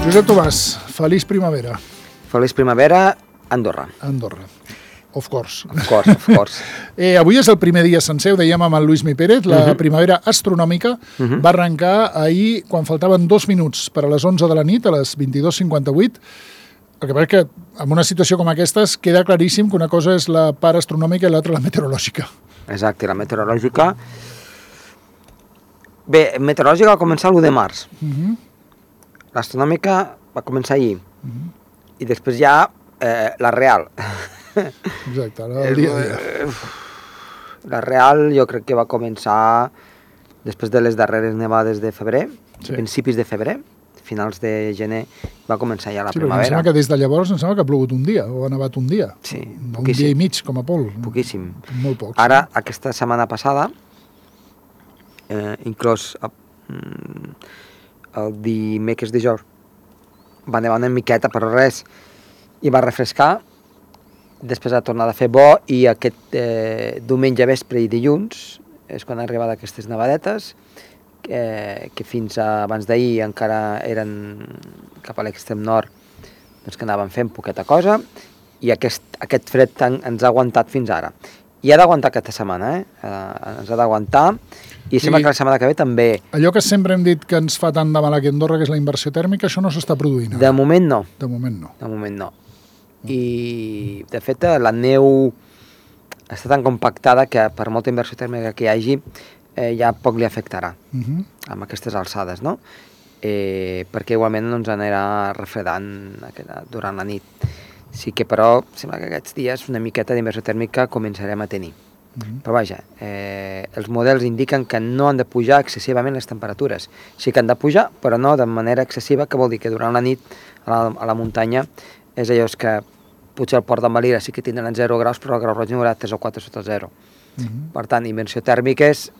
Josep Tomàs, feliç primavera. Feliç primavera, Andorra. Andorra. Of course. Of course. Avui és el primer dia sencer, ho dèiem amb el Lluís Mi Pérez, la primavera astronòmica va arrencar ahir quan faltaven 2 minuts per a les 11 de la nit, a les 22:58. El que passa és que en una situació com aquesta queda claríssim que una cosa és la part astronòmica i l'altra la meteorològica. Exacte, la meteorològica... Bé, meteorològica va començar l'1 de març. L'astronòmica va començar ahir. I després ja la real. Exacte, el dia a dia. La real jo crec que va començar després de les darreres nevades de febrer, principis de febrer, finals de gener, va començar ja la primavera. Em sembla que des de llavors em sembla que ha plogut un dia, o ha nevat un dia. Sí, poquíssim. Un dia i mig, com a pol. Poquíssim. Molt poc. Ara, aquesta setmana passada, inclòs el dimecres dijous, va nevar una miqueta, però res, i va refrescar. Després ha tornat a fer bo i aquest diumenge vespre i dilluns és quan han arribat aquestes nevadetes que fins abans d'ahir encara eren cap a l'extrem nord, doncs que anaven fent poqueta cosa i aquest fred ens ha aguantat fins ara. I ha d'aguantar aquesta setmana, ens ha d'aguantar i sembla que la setmana que ve també. Allò que sempre hem dit que ens fa tant de mal aquí a Andorra, que és la inversió tèrmica, això no s'està produint. De moment no. De moment no. De moment no. I, de fet, la neu està tan compactada que per molta inversió tèrmica que hi hagi, ja poc li afectarà amb aquestes alçades, no? Perquè igualment no ens anirà refredant durant la nit. Sí que, però, sembla que aquests dies una miqueta d'inversió tèrmica començarem a tenir. Però vaja, els models indiquen que no han de pujar excessivament les temperatures. Sí que han de pujar, però no de manera excessiva, que vol dir que durant la nit a la muntanya és allò que potser al port de Valira sí que tindran 0 graus, però el grau roig n'hi haurà 3 o 4 sota 0. Per tant, inversió tèrmica és,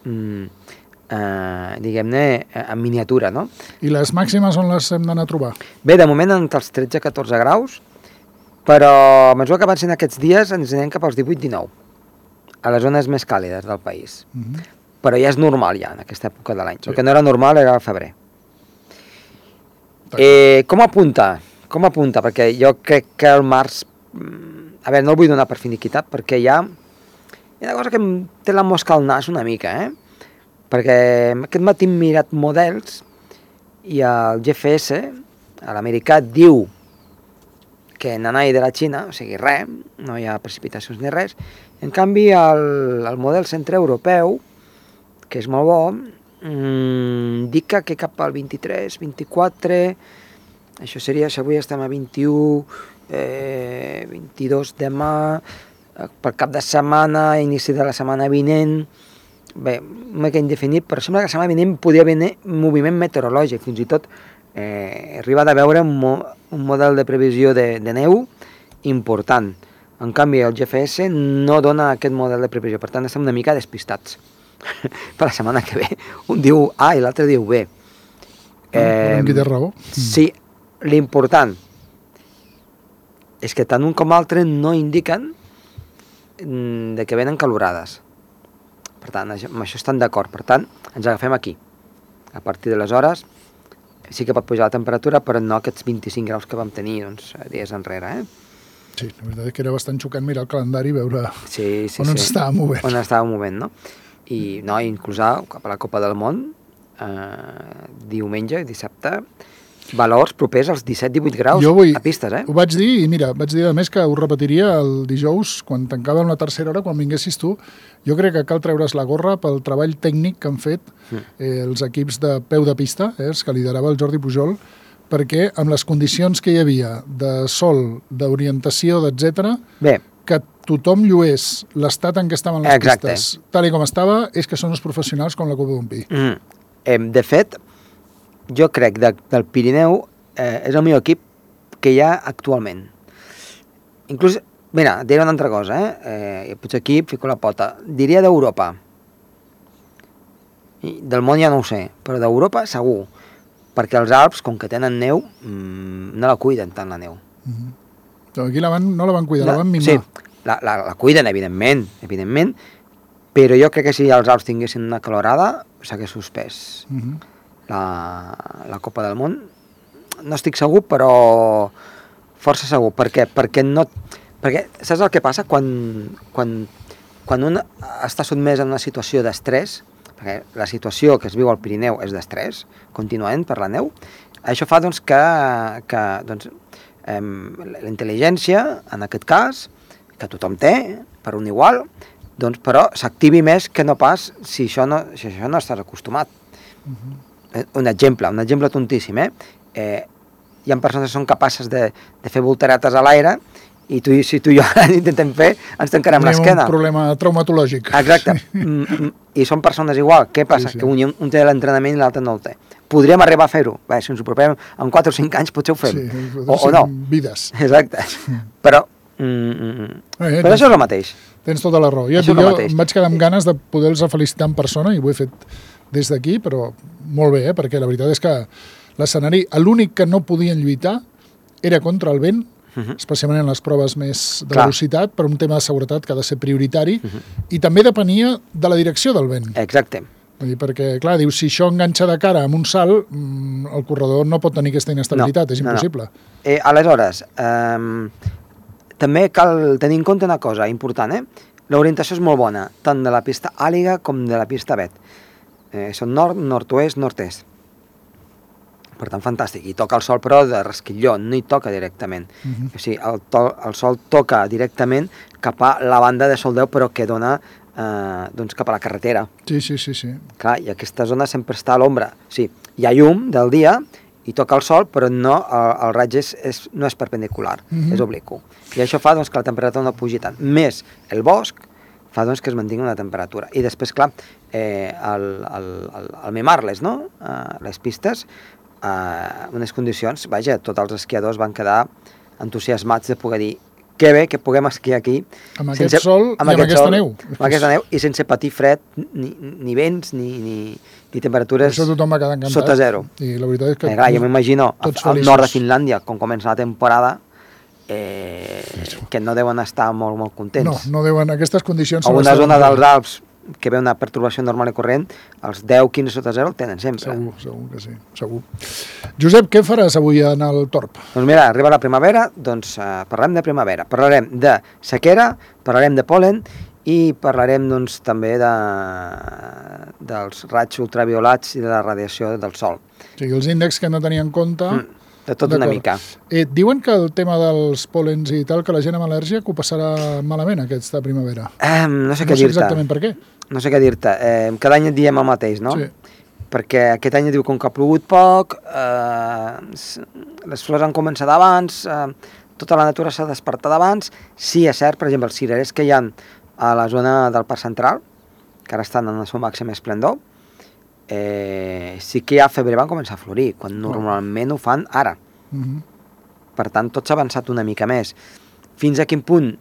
diguem-ne, en miniatura, no? I les màximes on les hem d'anar a trobar? Bé, de moment entre els 13 i 14 graus, però a mesura que avancen aquests dies ens anem cap als 18-19, a les zones més càlides del país. Però ja és normal, ja, en aquesta època de l'any. El que no era normal era el febrer. Com apunta? Perquè jo crec que el març... A veure, no el vull donar per finiquitat, perquè hi ha una cosa que em té la mosca al nas una mica, perquè aquest matí hem mirat models i el GFS, l'americà, diu que nanai de la Xina, o sigui, res, no hi ha precipitacions ni res. En canvi, el model centre europeu, que és molt bo, indica que cap al 23, 24, això seria, si avui estem a 21, 22 demà, per cap de setmana, inici de la setmana vinent, bé, una mica indefinit, però sembla que la setmana vinent podria venir moviment meteorològic, fins i tot arriba de veure un model de previsió de neu important. En canvi, el GFS no dona aquest model de previsió, per tant, estem una mica despistats per la setmana que ve. Un diu A i l'altre diu B. Qui té raó. Sí, l'important és que tant un com l'altre no indiquen que venen calorades. Per tant, amb això estan d'acord. Per tant, ens agafem aquí. A partir de les hores sí que pot pujar la temperatura, però no aquests 25 graus que vam tenir dies enrere. Sí, la veritat és que era bastant xocant mirar el calendari i veure on ens estàvem movent. On estàvem movent, no? I no, inclús cap a la Copa del Món, diumenge i dissabte, valors propers als 17-18 graus a pistes, Ho vaig dir, i mira, vaig dir a més que ho repetiria el dijous, quan tancàvem la tercera hora, quan vinguessis tu. Jo crec que cal treure's la gorra pel treball tècnic que han fet els equips de peu de pista, els que liderava el Jordi Pujol, perquè amb les condicions que hi havia de sol, d'orientació, etc., que tothom llués l'estat en què estaven les pistes, tal com estava, és que són els professionals com la copa d'un pi. De fet, jo crec del Pirineu és el millor equip que hi ha actualment. Inclús, mira, diré una altra cosa, potser aquí fico la pota. Diria d'Europa. Del món ja no ho sé, però d'Europa segur. Perquè els Alps, com que tenen neu, no la cuiden tant, la neu. Aquí no la van cuidar, la van mimar. Sí, la cuiden, evidentment, però jo crec que si els Alps tinguessin una calorada, s'hagués suspès la Copa del Món no estic segur, però força segur. Per què? Perquè saps el que passa? Quan un està sotmès a una situació d'estrès, perquè la situació que es viu al Pirineu és d'estrès, continuament per la neu, això fa doncs, que la intel·ligència, en aquest cas, que tothom té, per un igual, doncs, però s'activi més que no pas si això no estàs acostumat. Un exemple tontíssim, hi ha persones que són capaces de fer voltaretes a l'aire i si tu i jo intentem fer, ens tancarem l'esquena. Tenim un problema traumatològic. Exacte. I són persones igual. Què passa? Sí. Que un té l'entrenament i l'altre no el té. Podríem arribar a fer-ho. Si ens ho apropem en 4 o 5 anys potser ho fem. Sí, o no. Vides. Exacte. Però això és el mateix. Tens tota la raó. Jo em vaig quedar amb ganes de poder-los felicitar en persona i ho he fet des d'aquí, però molt bé, perquè la veritat és que l'escenari, l'únic que no podien lluitar era contra el vent, especialment en les proves més de velocitat, per un tema de seguretat que ha de ser prioritari, i també depenia de la direcció del vent. Exacte. Vull dir, perquè, clar, dius, si això enganxa de cara amb un salt, el corredor no pot tenir aquesta inestabilitat, és impossible. No. Aleshores, també cal tenir en compte una cosa important, l'orientació és molt bona, tant de la pista àliga com de la pista vet. Són nord, nord-oest, nord-est. Per tant, fantàstic. I toca el sol, però de resquilló, no hi toca directament. O sigui, el sol toca directament cap a la banda de Soldeu, però que dona cap a la carretera. Sí. Clar, i aquesta zona sempre està a l'ombra. O sigui, hi ha llum del dia i toca el sol, però no, el raig no és perpendicular, és obliqu. I això fa que la temperatura no pugi tant. Més el bosc fa que es mantingui una temperatura. I després, clar, al mimarles, no? Les pistes, unes condicions, vaja, tots els esquiadors van quedar entusiasmats de poder dir que bé que puguem esquiar aquí amb aquest sol i amb aquesta neu. Amb aquesta neu i sense patir fred, ni vents, ni temperatures sota zero. I la veritat és que jo m'imagino al nord de Finlàndia, com comença la temporada, que no deuen estar molt contents. No deuen, aquestes condicions... O una zona dels Alps que ve una pertorbació normal i corrent, els 10-15 sota zero el tenen sempre. Segur que sí, segur. Josep, què faràs avui en el Torb? Doncs mira, arriba la primavera, doncs parlarem de primavera, parlarem de sequera, parlarem de pol·len i parlarem doncs també dels raigs ultraviolats i de la radiació del sol. O sigui, els índexs que hem de tenir en compte... De tot una mica. Diuen que el tema dels pol·lens i tal, que la gent amb al·lèrgia que ho passarà malament aquesta primavera. No sé què dir-te. No sé exactament per què. No sé què dir-te. Cada any et diem el mateix, no? Sí. Perquè aquest any diu com que ha plogut poc, les flors han començat abans, tota la natura s'ha despertat abans. Sí, és cert, per exemple, els cirerers que hi ha a la zona del Parc Central, que ara estan en el seu màxim esplendor, sí que a febrer van començar a florir, quan normalment ho fan ara. Per tant, tot s'ha avançat una mica més. Fins a quin punt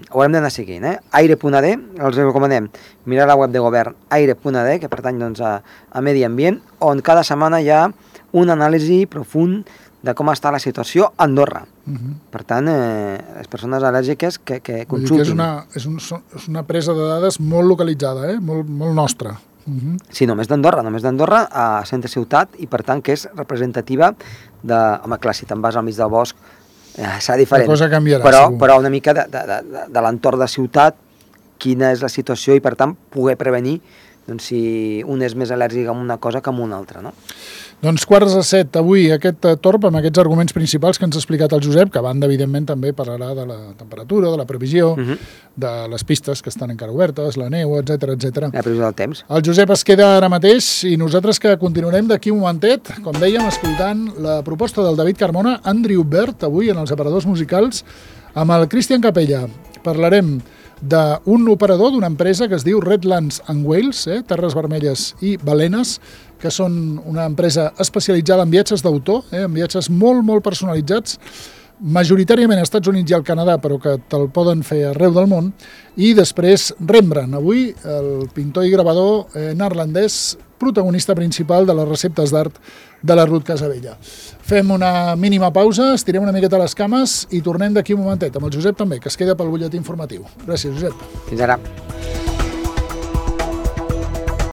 haurem d'anar seguint, Aire.d, els recomanem mirar la web de govern Aire.d, que pertany a Medi Ambient, on cada setmana hi ha un anàlisi profund de com està la situació a Andorra. Per tant, les persones al·lèrgiques que consultin. És una presa de dades molt localitzada, molt nostra. Sí, només d'Andorra a centre ciutat, i per tant que és representativa de... Home, clar, si te'n vas al mig del bosc serà diferent. La cosa canviarà, però una mica de l'entorn de ciutat, quina és la situació i per tant poder prevenir si un és més al·lèrgic a una cosa que a una altra, no? Doncs 6:45, avui aquest Torb amb aquests arguments principals que ens ha explicat el Josep, que a banda, evidentment, també parlarà de la temperatura, de la previsió, de les pistes que estan encara obertes, la neu, etc. La previsió del temps. El Josep es queda ara mateix i nosaltres que continuarem d'aquí un momentet, com dèiem, escoltant la proposta del David Carmona, Andrew Bird, avui en els aparadors musicals, amb el Cristian Capella. Parlarem d'un operador d'una empresa que es diu Redlands and Wales, Terres Vermelles i Balenes, que són una empresa especialitzada en viatges d'autor, en viatges molt, molt personalitzats, majoritàriament als Estats Units i al Canadà, però que te'l poden fer arreu del món. I després Rembrandt, avui el pintor i gravador neerlandès, protagonista principal de les receptes d'art de la Ruth Casabella. Fem una mínima pausa, estirem una miqueta les cames i tornem d'aquí un momentet, amb el Josep també, que es queda pel butlletí informatiu. Gràcies, Josep. Fins ara.